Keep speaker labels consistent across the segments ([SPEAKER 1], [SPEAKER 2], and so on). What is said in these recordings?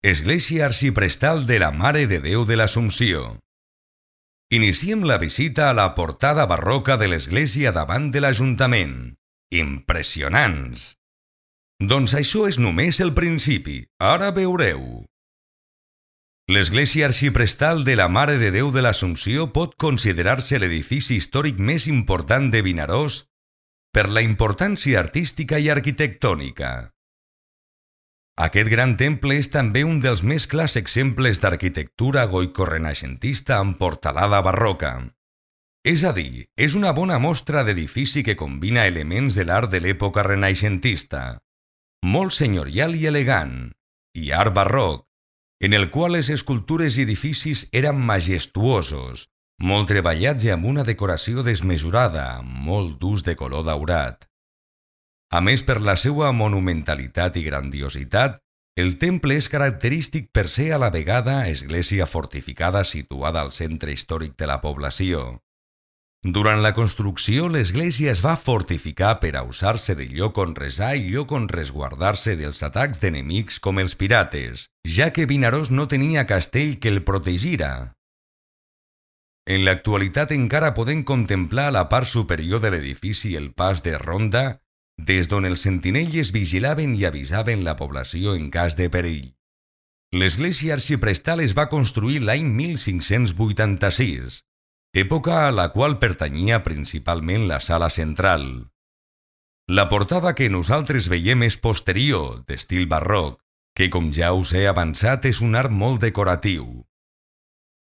[SPEAKER 1] Església Arxiprestal de la Mare de Déu de l'Assumpció. Iniciem la visita a la portada barroca de l'església davant de l'Ajuntament. Impressionants! Doncs això és només el principi, ara veureu. L'església arxiprestal de la Mare de Déu de l'Assumpció pot considerar-se l'edifici històric més important de Vinaròs per la importància artística i arquitectònica. Aquest gran temple és també un dels més clars exemples d'arquitectura goico-renaixentista amb portalada barroca. És a dir, és una bona mostra d'edifici que combina elements de l'art de l'època renaixentista, molt senyorial i elegant, i art barroc, en el qual les escultures i edificis eren majestuosos, molt treballats i amb una decoració desmesurada, amb molt d'ús de color daurat. A més, per la seva monumentalitat i grandiositat, el temple és característic per ser a la vegada església fortificada situada al centre històric de la població. Durant la construcció, l'església es va fortificar per a usar-se de lloc on resar i lloc on resguardar-se dels atacs d'enemics com els pirates, ja que Vinaròs no tenia castell que el protegira. En l'actualitat encara podem contemplar a la part superior de l'edifici el pas de ronda, des d'on els sentinelles vigilaven i avisaven la població en cas de perill. L'església arxiprestal es va construir l'any 1586, època a la qual pertanyia principalment la sala central. La portada que nosaltres veiem és posterior, d'estil barroc, que com ja us he avançat és un art molt decoratiu.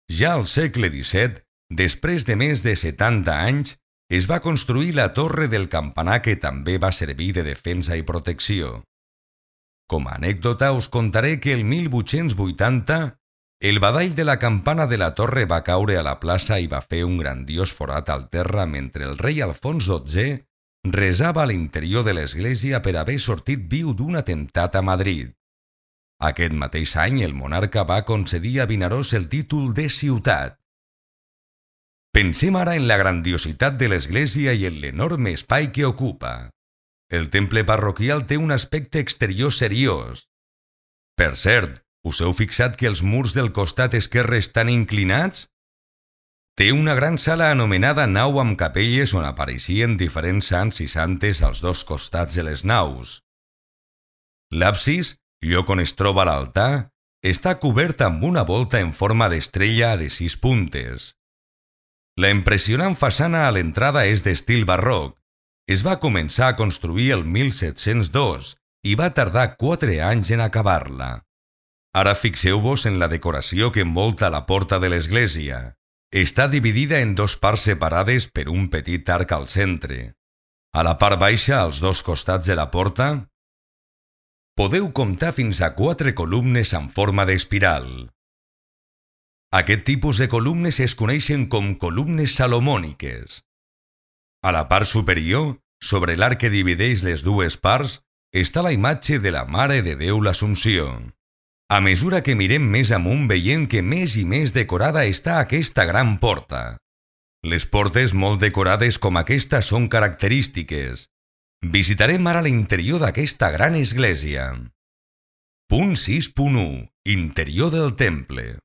[SPEAKER 1] Ja al segle XVII, després de més de 70 anys, es va construir la torre del campanar que també va servir de defensa i protecció. Com a anècdota us contaré que el 1880 el badall de la campana de la torre va caure a la plaça i va fer un grandiós forat al terra mentre el rei Alfons XII resava a l'interior de l'església per haver sortit viu d'un atemptat a Madrid. Aquest mateix any el monarca va concedir a Vinaròs el títol de ciutat. Pensem ara en la grandiositat de l'església i en l'enorme espai que ocupa. El temple parroquial té un aspecte exterior seriós. Per cert, us heu fixat que els murs del costat esquerre estan inclinats? Té una gran sala anomenada nau amb capelles on apareixien diferents sants i santes als dos costats de les naus. L'absis, lloc on es troba l'altar, està cobert amb una volta en forma d'estrella de 6 puntes. La impressionant façana a l'entrada és d'estil barroc. Es va començar a construir el 1702 i va tardar 4 anys en acabar-la. Ara fixeu-vos en la decoració que envolta la porta de l'església. Està dividida en 2 parts separades per un petit arc al centre. A la part baixa, als 2 costats de la porta, podeu comptar fins a 4 columnes en forma d'espiral. Aquest tipus de columnes es coneixen com columnes salomòniques. A la part superior, sobre l'arc que divideix les 2 parts, està la imatge de la Mare de Déu l'Assumpció. A mesura que mirem més amunt veiem que més i més decorada està aquesta gran porta. Les portes molt decorades com aquesta són característiques. Visitarem ara l'interior d'aquesta gran església. Punt 6.1. Interior del temple.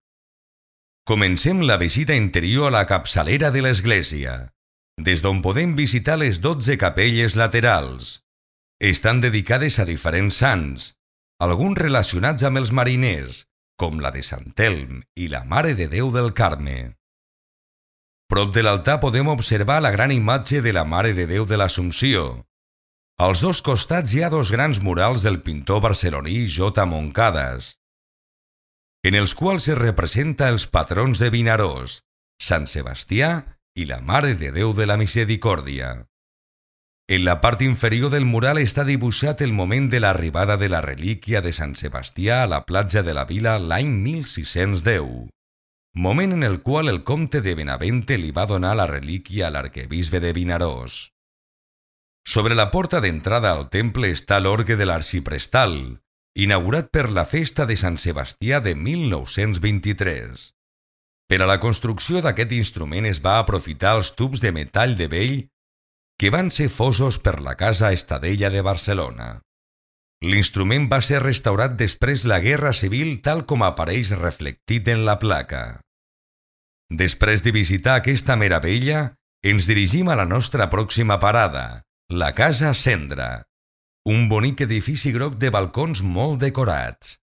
[SPEAKER 1] Comencem la visita interior a la capçalera de l'església, des d'on podem visitar les 12 capelles laterals. Estan dedicades a diferents sants, alguns relacionats amb els mariners, com la de Sant Elm i la Mare de Déu del Carme. Prop de l'altar podem observar la gran imatge de la Mare de Déu de l'Assumpció. Als 2 costats hi ha 2 grans murals del pintor barceloní J. Moncades, en els quals es representa els patrons de Vinaròs, Sant Sebastià i la Mare de Déu de la Misericòrdia. En la part inferior del mural està dibuixat el moment de l'arribada de la relíquia de Sant Sebastià a la platja de la vila l'any 1610, moment en el qual el comte de Benavente li va donar la relíquia a l'arquebisbe de Vinaròs. Sobre la porta d'entrada al temple està l'orgue de l'arxiprestal, inaugurat per la festa de Sant Sebastià de 1923. Per a la construcció d'aquest instrument es va aprofitar els tubs de metall de vell que van ser fosos per la Casa Estadella de Barcelona. L'instrument va ser restaurat després la Guerra Civil tal com apareix reflectit en la placa. Després de visitar aquesta meravella, ens dirigim a la nostra pròxima parada, la Casa Cendra, un bonic edifici groc de balcons molt decorats.